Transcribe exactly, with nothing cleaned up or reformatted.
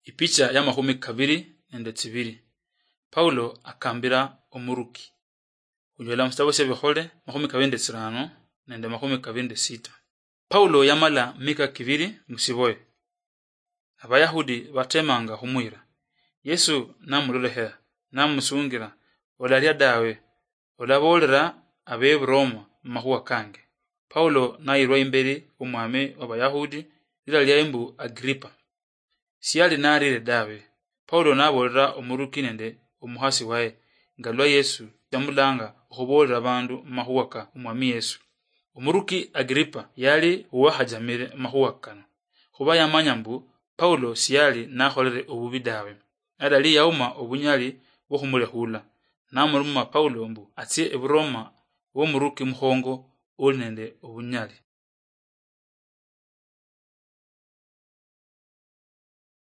Ipicha ya makhumi kabiri nende tsibiri. Paulo akambira omuruki. Khunyola musitabo sia Bikhole makhumi kabiri nende tsirano nende makhumi kabiri nende sita. Paulo yamala mika kibiri musiboye. Abayahudi batemanga khumwira. Yesu namulolekhera, namusungira, "Olaria dawe, olaboolera Abeburoma amakhuwa kange." Paulo nayirwa imberi womwami w'Abayahudi, lira liaye mbu Agripa. Siyali narire dawe. Paulo naboolera omuruki nende omukhasi waye nga lwa Yesu yamulanga okhuboolera abandu amakhuwa ka omwami Yesu. Omuruki Agripa yali owakhajamire amakhuwa kano, khuba yamanya mbu Paulo siyali nakholere obubi dawe. Adali yauma obunyali bwokhumulekhula, namuruma Paulo mbu atsie Eburoma womuruki mukhongo oli nende obunyali.